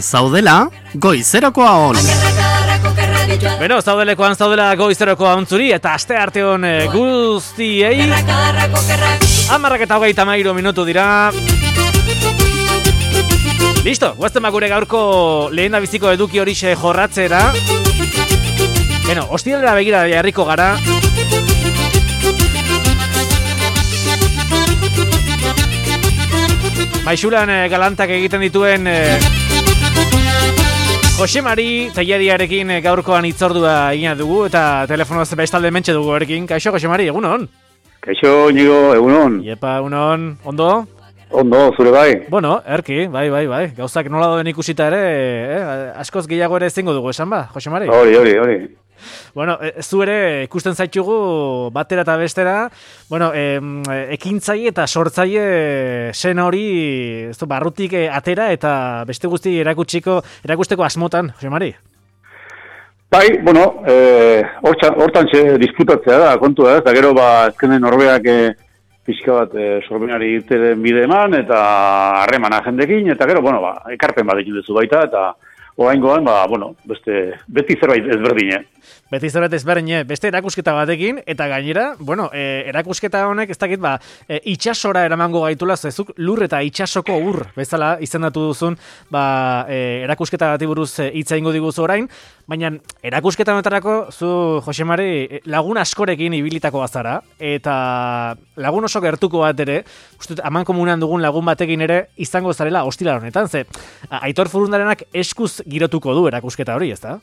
zaudela, goizerakoa on. Beno, zaudelekoan zaudela goizerokoa ontzuri eta aste arte hon guztiei 10:23 minutu dira. Listo, guazten gure gaurko lehen biziko eduki horixe jorratzera. Beno, ostiralera begira jarriko gara. Maixulan galantak egiten dituen Jose Mari Teilariarekin gaurkoan hitzordua egina dugu eta telefonoz bestalde mentxe dugu erekin. Kaixo, Jose Mari, egunon? Kaixo, Inigo, egunon. Iepa, egunon, ondo? Ondo, zure bai. Bueno, erki, bai. Gauzak nola doen ikusita ere, askoz gehiago ere ezingo dugu esan ba, Jose Mari? Hori. Bueno, zu ere ikusten zaitugu batera eta bestera, bueno, ekintzaile eta sortzaile sen hori barrutik atera eta beste guzti erakusteko asmotan, Jose Mari? Bai, bueno, hortan disputatzea da, kontua ez, da gero ezkenen norbeak pixka bat sorbenari irteren bide eman eta harremana jendekin, eta gero, ekarpen bat egin duzu baita, eta oraingoan, beti zerbait ezberdine. Beti zerbait ezberdine, beste erakusketa batekin, eta gainera, erakusketa honek ez dakit, itxasora eramango gaitula, zezuk lur eta itxasoko ur, bezala izendatu duzun, erakusketa bati buruz hitza ingo diguzu orain, baina erakusketa honetarako, zu, Jose Mari, lagun askorekin ibilitako bazara, eta lagun oso gertuko bat ere, uste, aman komunan dugun lagun batekin ere, izango zarela hostila honetan, ze, Aitor Furundarenak eskuz girotuko du erakusketa hori, ezta?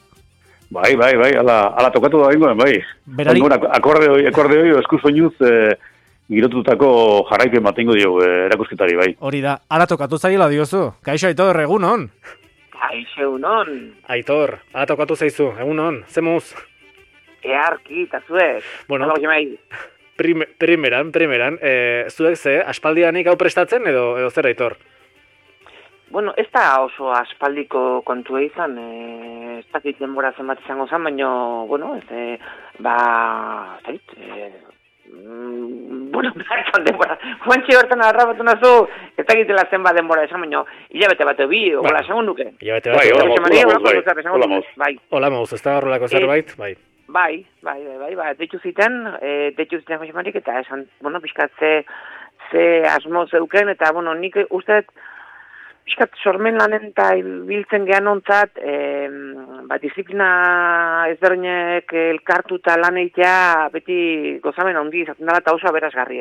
Bai, ala tokatu da bingoen, bai. Berari... Akorde hori eskuz oinuz girotutako jarraipen bat ingo dio erakusketari, bai. Hori da, ala tokatu zaila diozu. Kaixo, Aitor, egunon? Kaixo, egunon. Aitor, ala tokatu zaizu, egunon, zemuz? Earki, eta zuek. Bueno, primeran, zuek ze, aspaldianik hau prestatzen edo zer, Aitor? Bueno, ez da oso aspaldiko kontua izan, ez dakit denbora zenbat izango zen, baina, bertan denbora, Juantxe bertan arrabatu nazu, ez dakitela zenbat denbora esan, baina, hilabete bat bi, hola esango nuke. Hilabete bat, hola mauz, ez da horrelako zerbait, bai. Bai, deitu ziten Jose Marik, eta esan, pixkat ze asmo zeuken, eta, nik uste, pixkat sormen lanen eta biltzen gehan ontzat, disiplina ezberdinek elkartuta lan eitea beti gozamen handi izaten dela eta oso aberasgarri.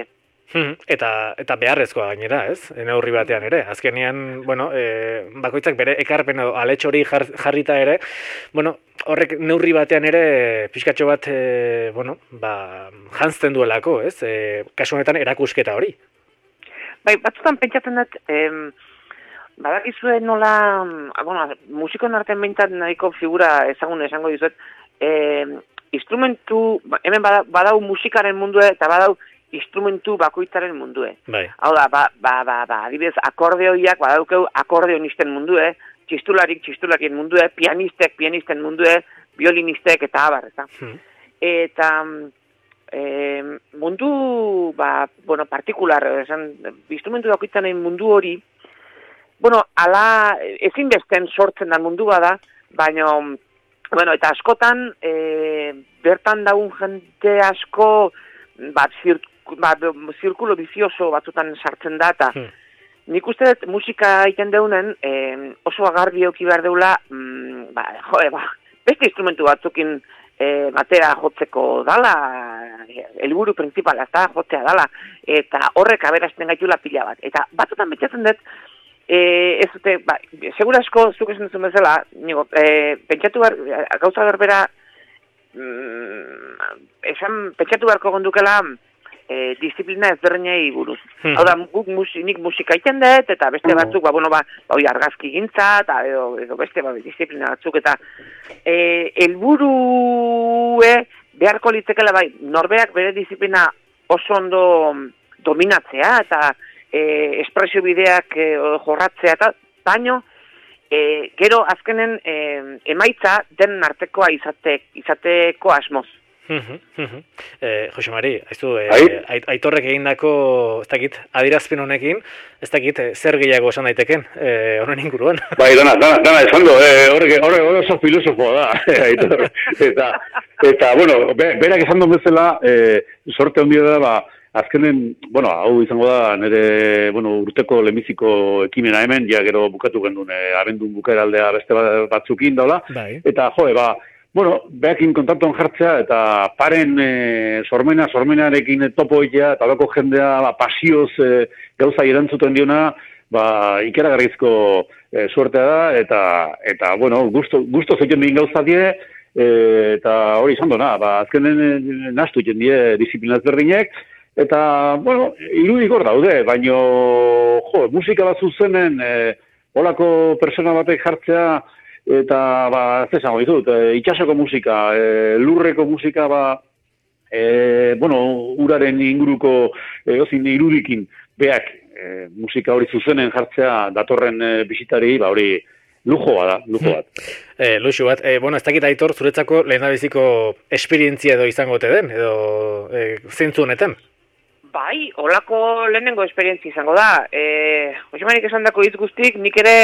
Eta beharrezkoa gainera, ez? Neurri batean ere. Azkenean, bakoitzak bere ekarpen edo aletxo hori jarrita ere, horrek neurri batean ere pixkatxo bat, jantzten duelako, ez? Kasu honetan erakusketa hori. Bai, batzutan pentsatzen dut, badakizue nola, musikon artean behintzat nahiko figura ezagun esango dizuet, instrumentu, hemen badau musikaren mundue eta badau instrumentu bakoitzaren mundue. Bai. Hau da, adibidez, akordeoiak badaukeu akordeonisten mundue, txistulakien mundue, pianisten mundue, violinistek eta abar, eta. Eta mundu, partikular, instrumentu bakoitzaren mundu hori, ala ezinbesten sortzen da mundu bada, baina, eta askotan, bertan daun jente asko, zirkulo bizioso batzutan sartzen da, eta nik uste dut musika egiten deunen, oso agarbi euki behar deula, beste instrumentu batzukin batera jotzeko dala, helburu principala, ez da, jotzea dala, eta horrek aberazten gaitula pila bat. Eta batzutan betxatzen dut, ez dute, segura asko zuk esan duzun bezala, pentsatu behar, gauza berbera, pentsatu beharko gondukela disiplina ezberdinei buruz. Hau da, nik musika iten dut, eta beste batzuk, argazki gintza, edo beste disiplina batzuk, eta helburue beharko litzekela, norberak bere disiplina oso ondo dominatzea, eta espresio bideak jorratzea, eta baino, gero azkenen emaitza den artekoa izateko asmoz. Jose Mari, Aitorrek egindako, ez dakit, adirazpen honekin, ez dakit, zer gehiago esan daiteken, honen inguruan. Bai, dana esan do, horre oso filosofoa da, Aitor. Eta, bueno, berak esan duen bezala, sorte handia da, azkenen, bueno, hau izango da, nire, urteko lehenbiziko ekimena hemen, ja gero bukatu gendun, abendun bukaeraldea beste batzukin daula, eta, behakin kontaktuan jartzea, eta paren sormenarekin topo egitea, eta bako jendea pasioz gauza erantzuten diona, ikeragarrizko suertea da, eta gusto zeiten egin gauza die, eta hori izan dona, azkenen nastu egin die disiplinaz berdinek, eta, irudik hor daude, baino, musika bat zuzenen, holako persona batek jartzea, eta, ez esango ditut, itxasoko musika, lurreko musika, uraren inguruko, irudikin, beak, musika hori zuzenen jartzea datorren bisitari, hori lujo bat. Luxu bat. Ez dakit Aitor, zuretzako lehendabiziko esperientzia edo izango ote den, edo zentzu honetan? Bai, holako lehenengo esperientzia izango da. Josemarik esan dako hitz guztik, nik ere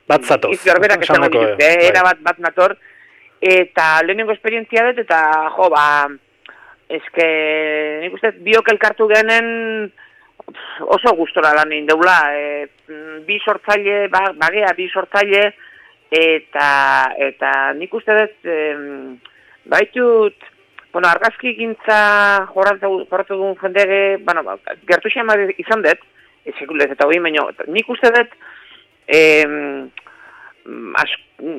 bat zatoz. Izberberak esango ditut, era bat nator, eta lehenengo esperientzia dut, eta eske, nik uste, biok elkartu genen oso gustora lan egin deula. Bi sortzaile, bi sortzaile, eta nik uste dut, baitut, argazki gintza jorratu dugun jendege, gertu xema izan dut, sekulez eta hori, baina nik uste dut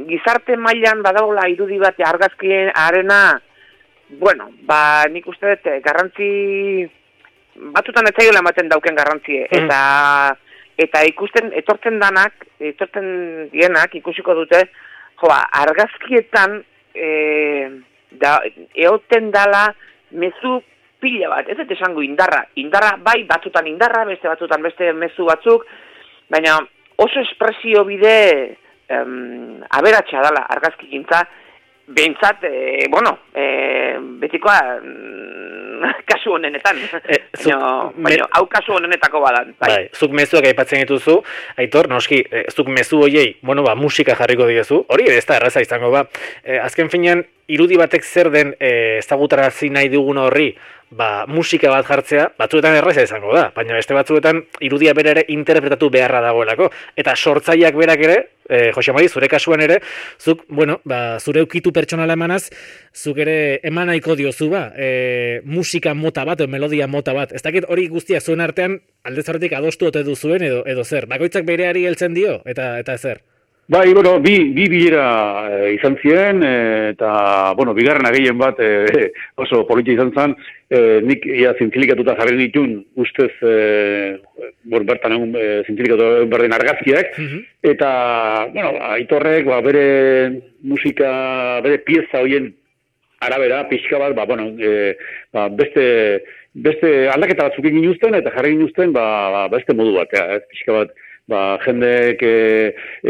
gizarte mailan badagola irudi bat argazkien arena, nik uste dut garrantzi batutan etzaiola ematen dauken garrantzie, eta ikusten, etortzen dienak ikusiko dute, argazkietan eoten dala mezu pila bat, ez dut esango indarra bai, batzutan indarra, beste batzutan beste mezu batzuk, baina oso espresio bide aberatsa dala argazki gintza, behintzat, betikoa kasu honenetan, baina hau kasu honenetako badan. Bai, zuk mezuak aipatzen dituzu, Aitor, noski, zuk mezu hoiei, musika jarriko diezu, hori ez da erraza izango, azken finean, irudi batek zer den ezagutarazi nahi dugun horri, musika bat jartzea, batzuetan erraza izango da, baina beste batzuetan irudia bere ere interpretatu beharra dagoelako. Eta sortzaileak berak ere, Jose Mari, zure kasuan ere, zuk, zure ukitu pertsonala emanaz, zuk ere eman nahiko diozu musika mota bat, melodia mota bat. Ez dakit hori guztiak zuen artean, aldez horretik adostu ote duzuen edo zer. Bakoitzak bereari heltzen dio, eta zer? Bai, bi bilera izan ziren, eta, bigarrena gehien bat oso politia izan zen, nik zintzilikatuta jarri ditun, ustez, bertan egun zintzilikatu berdin argazkiak, eta, Aitorrek, bere musika, bere pieza horien arabera, pixka bat, beste aldaketa batzuk egin uzten, eta jarri egin uzten, beste modu bat, pixka bat, jendek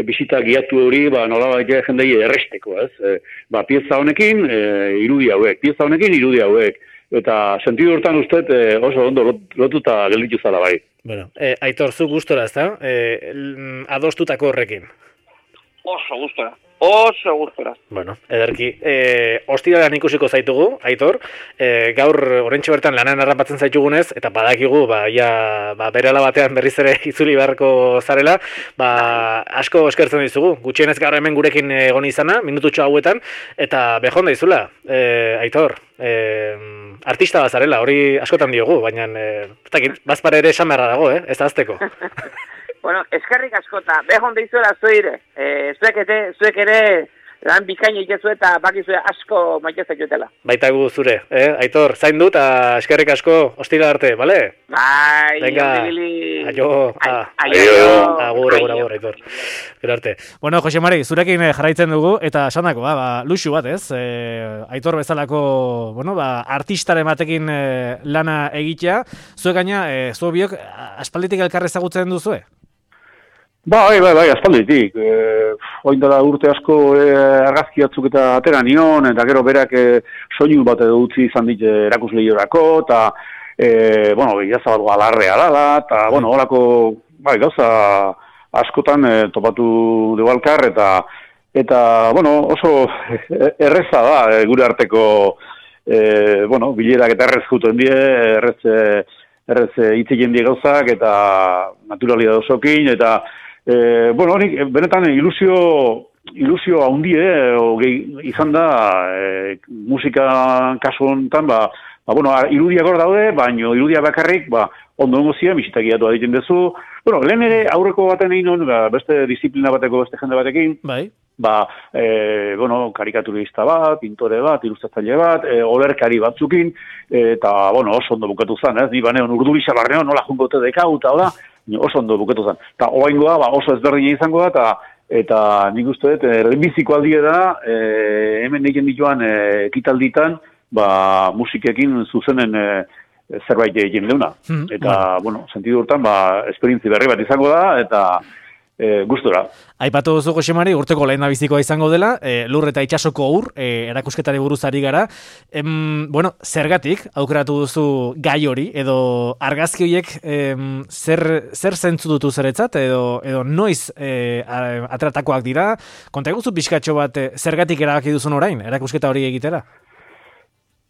bisita giatu hori, nolabait jendei erresteko, ez? Pieza honekin, irudi hauek, eta sentidu hortan ustez oso ondo lotuta gelditu zala bai. Aitor, zu gustora, ez da? Adostutako horrekin. Oso gustora. Ederki. Ostiralan ikusiko zaitugu, Aitor. Gaur oraintxe bertan lanan harrapatzen zaitugunez, eta badakigu, berela batean berriz ere itzuli beharko zarela, asko eskertzen dizugu. Gutxienez gaur hemen gurekin egon izana, minututxo hauetan, eta behon da izula, Aitor. Artista bazarela, hori askotan diogu, baina bazpare ere esan beharra dago, ez da azteko. Eskerrik askota, behon deizuela zuire, zuek ere lan bikaino itezu eta bakizue asko maitezak jutela. Baita gu zure, Aitor, zain dut, eskerrik asko, ostira arte, bale? Bai, aio, agur, Aitor. Gero arte. Jose Mari, zurekin jarraitzen dugu, eta esandako, luxu bat, ez? Aitor bezalako, artistaren batekin lana egitea, zuek gaina, zu biok, aspalditik elkar ezagutzen duzue? Bai, aspalditik. Oin dela urte asko argazki batzuk eta atera nion, eta gero berak soinu bat edo utzi izan dit erakusleiorako, eta, jazabat alarrea dala, eta, horako, gauza askotan topatu debalkar, eta, oso erreza da gure arteko, bilerak eta errez juten die, errez hitzik die gauzak, eta naturalidad osokin, eta, honik, benetan ilusio haundi, izan da, musika kasu honetan, irudiak hor daude, baina irudia bakarrik, ondo ziren, bisitakiatu aditen dezu. Lehen ere, aurreko baten egin hon, beste disiplina bateko, beste jende batekin, karikaturista bat, pintore bat, ilustratzaile bat, olerkari batzukin, eta, oso ondo bukatu zen, ez? Ni baneon urdubisa barneon, nola jungote dekau, eta oso ondo bukatu zen. Eta oaingoa, oso ezberdina izango da, eta nik uste dut, lehenbiziko aldie da, hemen egin dituan ekitalditan, musikekin zuzenen zerbait egin leuna. Eta, sentidu hortan, esperientzi berri bat izango da, eta gustora. Aipatu duzu, Josemari, urteko lehendabizikoa izango dela, lur eta itxasoko ur, erakusketari buruz ari gara. Zergatik, aukeratu duzu gai hori, edo argazki horiek zer zentzu dutu zeretzat, edo noiz atratakoak dira. Konta eguzu pixkatxo bat, zergatik erabaki duzun orain, erakusketa hori egitera?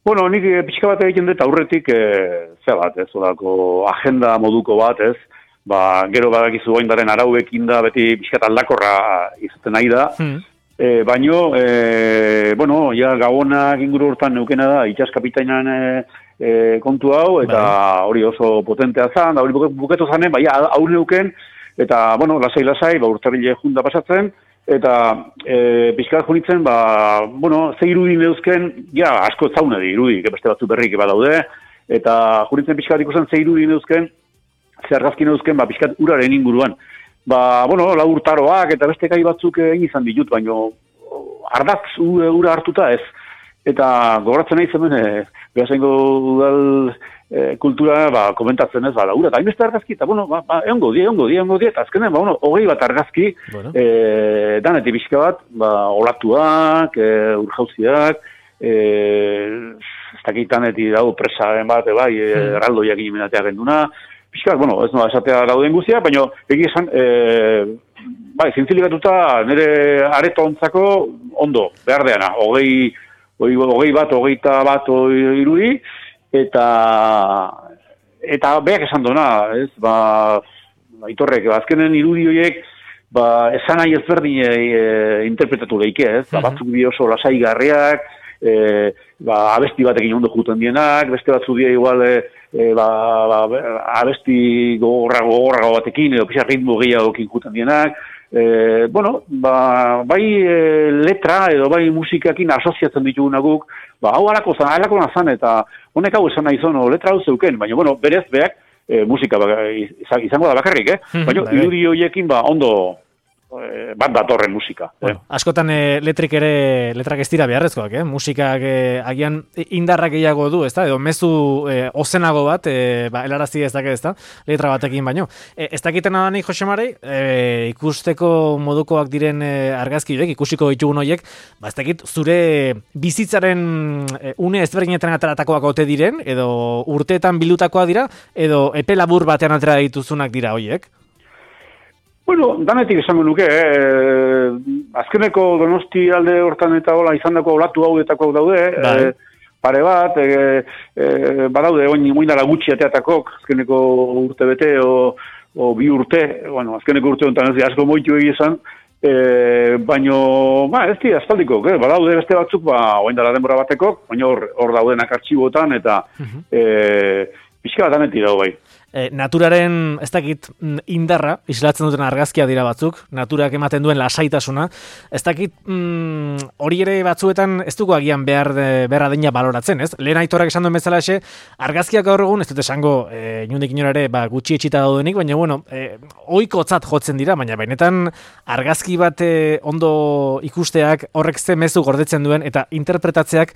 Nik pixka bat egiten dut aurretik, agenda moduko bat, ez? Gero badakizu oindaren arauekin da, beti pixkat aldakorra izaten nahi da. Baino, gabonak inguru hortan neukena da, itxaskapitainan kontu hau, eta hori oso potentea zan, hori buketu zanen, hau neuken, eta, lasai, urtarrile junda pasatzen, eta pixkat junitzen, ze irudi neuzken, asko zaune di irudi, beste batzu berrik badaude, eta junitzen pixkat ikusten ze irudi neuzken, ze argazki neuzken, pixkat uraren inguruan. Lau urtaroak eta beste gai batzuk egin izan ditut, baina ardaz ura hartuta ez. Eta gogoratzen nahi zemen, behasengo udal kultura komentatzen ez, ura eta hainbeste argazki, eta eongo die, eta azkenen, 20 bat argazki, daneti pixka bat, olatuak, urjauziak, ez dakitaneti dago presaren bat, erraldoiak inimenatea genduna, pixkak, ez noa esatea dauden guztia, baina egia esan, zintzilikatuta nire areto ontzako ondo, behar deana, 20 bat, 21 bat irudi, eta beak esan dona, ez, aitorrek, azkenen irudi horiek, esan nahi ezberdin interpretatu lehike, ez, batzuk bi oso lasai garriak, abesti batekin ondo juten dienak, beste batzu die igual, abesti gogorrago batekin, edo pixar ritmo gehiagokin juten dienak, bai letra edo bai musikakin asoziatzen ditugunak guk, hau alako nazan, eta honek hau esan nahi zono letra hau zeuken, baina berez beak musika izango da bakarrik, baina irudi horiekin ondo bat datorren musika. Askotan letrak ez dira beharrezkoak, musikak agian indarrak gehiago du, ezta? Edo mezu ozenago bat, helarazi ez dakit, ezta? Letra batekin baino. Ez dakiten adanik, Josemari, ikusteko modukoak diren argazki horiek, ikusiko ditugun horiek, ez dakit zure bizitzaren une ezberdinetan ateratakoak ote diren, edo urteetan bildutakoak dira, edo epe labur batean atera dituzunak dira horiek? Danetik esango nuke, azkeneko Donosti alde hortan eta hola izandako olatu hauetako daude, pare bat, badaude oindara gutxi ateatakok, azkeneko urte bete o bi urte, azkeneko urte honetan ez asko moitu egizan, baino, ez di, aspaldiko, badaude beste batzuk, oindara denbora batekok, baina hor daudenak artxibotan, eta pixka bat danetik dago bai. Naturaren, ez dakit, indarra, islatzen duten argazkia dira batzuk, naturak ematen duen lasaitasuna, ez dakit, hori ere batzuetan ez dugu agian behar adina baloratzen, ez? Lehen Aitorrak esan duen bezala argazkiak gaur egun, ez dut esango, inundik inorare, gutxi etxita daudenik, baina, ohikotzat jotzen dira, baina benetan argazki bat ondo ikusteak horrek ze mezu gordetzen duen, eta interpretatzeak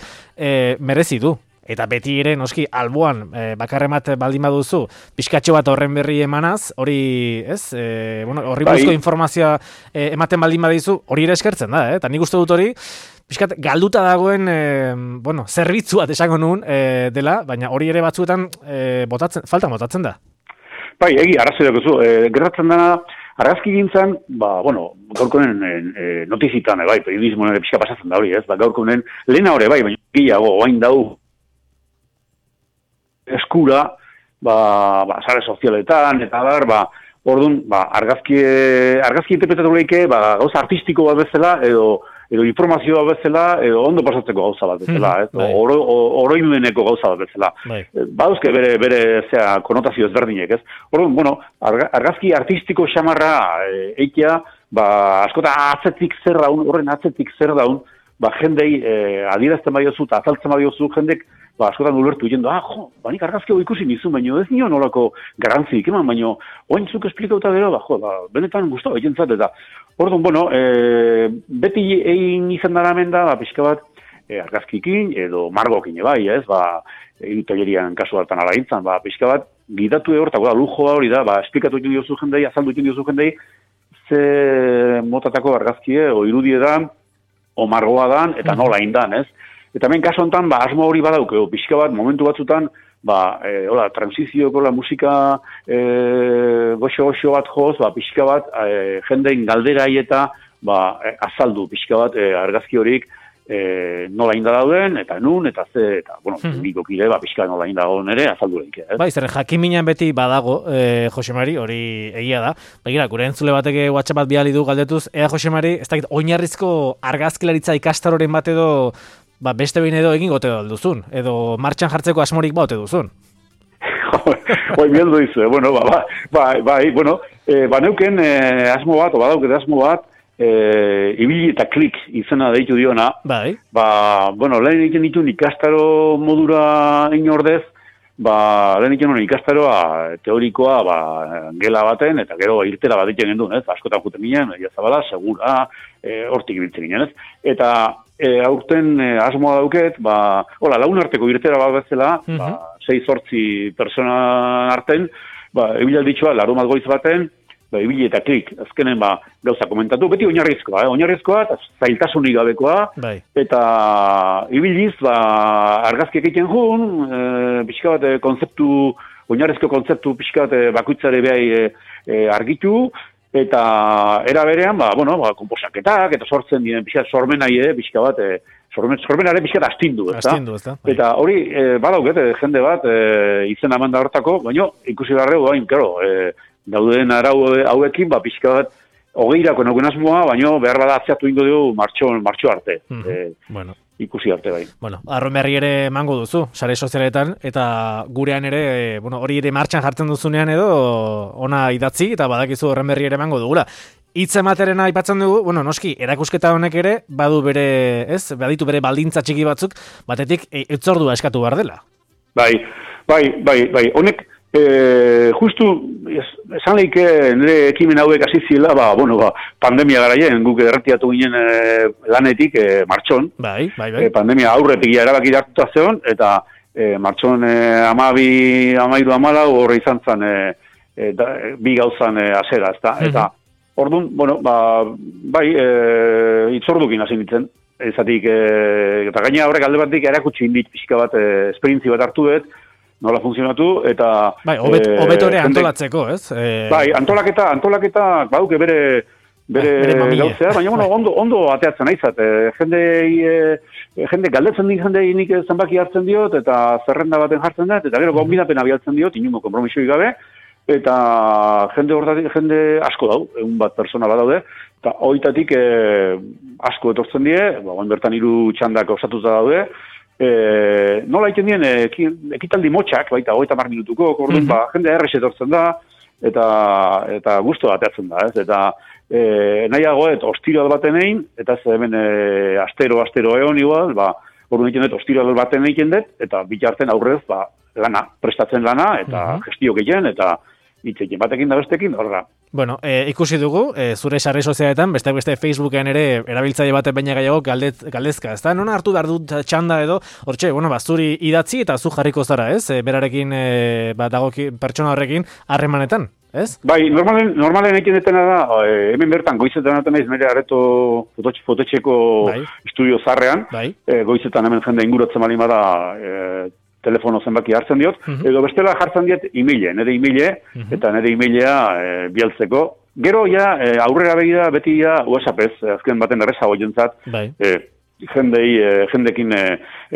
merezi du. eta beti ere, noski, alboan, bakarremat baldin baduzu, pixkatxo bat horren berri emanaz, hori, ez? Horri buruzko informazioa ematen baldin badizu, hori ere eskertzen da, eta nik uste dut hori, pixkat, galduta dagoen, zerbitzu bat esango nuen dela, baina hori ere batzuetan faltan botatzen da. Bai, arrazoi dagozu, gertatzen dena, argazki gintzan, gaurkonen notizitan, periodismoen ere pixka pasatzen da hori, ez? Gaurkonen lehena hori, baina gehiago, oain dau eskura, sare sozialetan, eta orduan, argazki interpretatu lehike, gauza artistiko bat bezala, edo informazioa bezala, edo ondo pasatzeko gauza bat bezala, oroimeneko gauza bat bezala. Baduzke bere konotazio ezberdinek, ez? Orduan, argazki artistiko xamarra eitea, askota atzetik zer daun, horren atzetik zer daun, jendei adierazten badiozu eta azaltzen badiozu, jendek askotan ulertu jendo, nik argazki hau ikusi nizun, baina ez nio nolako garantzik, baina oaintzuk esplikauta gero, benetan guztua egentzat, eta orduan, beti egin izan dara menda, pixka bat, argazkikin, edo margokin, ez, tallerian kasu hartan ala gintzan, pixka bat, gidatu hortako da, lujoa hori da, esplikatu egin diozu jendei, azaldu egin diozu jendei, ze motatako argazkie, o irudie dan, o margoa dan, eta nola indan, ez? Eta hemen kasu honetan, asmo hori badauke, pixka bat, momentu batzutan, transizioko musika goxo bat joz, pixka bat, jendein galderai eta azaldu pixka bat argazki horik nola inda dauden, eta nun, eta ze, eta, bikokide, pixka nola inda dauden ere, azaldu lehik. Zer, jakiminan beti badago, Josemari, hori egia da. Begira, gure entzule batek WhatsApp bat bidali du galdetuz, Josemari, ez dakit, oinarrizko argazkilaritza ikastaroren bat edo, beste behin edo egin gote duzun, edo martxan jartzeko asmorik baute duzun. Hoi, bieldu dizu, neuken asmo bat, badauket asmo bat, ibili eta klik izena deitu diona. Lehen egiten ditun ikastaro modura inordez, lehen egiten ikastaroa teorikoa gela baten, eta gero irtera bat egiten gendun, ez? Askotan juten ginen, Zabala, Segura, hortik ibiltzen ginen, ez? Eta aurten asmoa dauket, lagun arteko irtera bat bezala, 6-8 persona arten, ebilalditxoa, larumat goiz baten, ibili eta klik, azkenen gauza komentatu, beti oinarrizkoa, eta zailtasunik gabekoa, eta ibiliz, argazkiak egiten jun, pixka bat oinarrizko kontzeptu pixka bat bakoitzare behai argitu, eta era berean, komposaketak, eta sortzen diren pixka sormenai, pixka bat, sormenare pixka bat astindu, ezta? Eta hori, badauket, jende bat, izena manda hortako, baina ikusi garreu, dauden arau hauekin, pixka bat, hogeirako nauken asmoa, baina behar bada atziatu ingo dugu martxo arte. Ikusi arte bai. Arroen berri ere emango duzu, sare sozialetan, eta gurean ere, hori ere martxan jartzen duzunean edo, ona idatzi, eta badakizu horren berri ere emango dugula. Hitz ematerena aipatzen dugu, noski, erakusketa honek ere, baditu bere baldintza txiki batzuk, batetik hitzordua eskatu behar dela. Bai, honek, justu, esan lehike nire ekimen hauek hasi ziela, pandemia garaien, guk erretiatu ginen lanetik martxon. Pandemia aurretik erabaki hartuta zeon, eta martxon 12-13 horre izan zen bi gauzan azera, ezta? Eta orduan, hitzordukin hasi nintzen, ezatik, eta gaina horrek alde batik erakutsi indit pixka bat, esperientzi bat hartu dut, nola funtzionatu, eta... Hobetore antolatzeko, ez? Antolaketa, baduke bere gauzea, baina ondo ateatzen aizat. Jende galdetzen din jendei nik zenbaki hartzen diot, eta zerrenda baten jartzen dut, eta gero gonbidapen abialtzen diot, inungo kompromisoi gabe, eta jende asko dau, egun bat persona bat daude, eta hoitatik asko etortzen die, bertan 3 txandak osatuta daude, nola egiten dien ekitaldi motxak, baita 30 minutuko, jende errex etortzen da, eta gusto ateatzen da, ez? Eta nahiagoet ostiral baten egin, eta ez hemen astero egon igual, orduan egiten dut ostiral baten egiten dut, eta bitarten aurrez, prestatzen lana, eta gestio gehien, eta hitzekin batekin da bestekin, horra. Bueno, ikusi dugu, zure sarri sozialetan, beste Facebooken ere erabiltzaile batek baina gehiago galdezka, ezta? Non hartu behar dut txanda edo, hortxe, bueno, zuri idatzi eta zu jarriko zara, ez? Berarekin, dagoki pertsona horrekin harremanetan, ez? Bai, normalen ekin detena da, hemen bertan goizetan aten naiz nire areto fotetxeko estudio zarrean, goizetan hemen jende inguratzen bali bada telefono zenbaki hartzen diot, edo bestela jartzen diet nire e-maile, eta nire e-mailea bialtzeko. Gero, aurrera begira, beti WhatsApp-ez, azken baten errezago jentzat, jendekin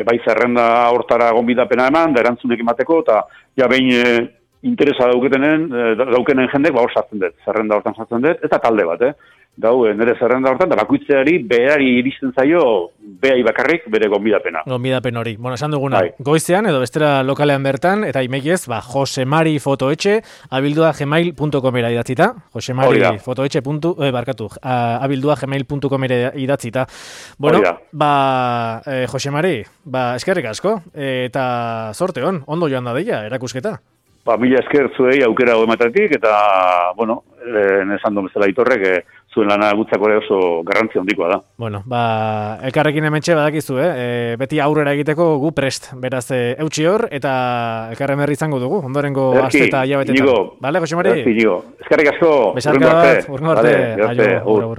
bai zerrenda hortara gonbidapena eman, da erantzunekin bateko, eta behin interesa daukenen jendek, hor sartzen dut, zerrenda hortan sartzen dut, eta talde bat, nire zerrenda hortan, da bakoitzeari berari iristen zaio, behai bakarrik bere gonbidapena. Gonbidapen hori. Bueno, esan duguna, goizean edo bestera lokalean bertan, eta imeiez, josemarifotoetxe, abildua@gmail.com idatzita, josemarifotoetxe, abildua@gmail.com idatzita. Bueno, Josemari, eskerrik asko, eta zorte hon, ondo joan da deia, erakusketa. Mila esker zuei aukera ematetik, eta, bueno, esan duen bezala Aitorrek, zuen lana gutzako ere oso garrantzia handikoa da. Bueno, elkarrekin hementxe badakizu, beti aurrera egiteko gu prest, beraz, eutxi hor, eta elkarren berri izango dugu, ondorengo aste eta hilabetetan. Bale, Josemari? Eskerrik asko. Besarka bat, urrengo arte. Aio,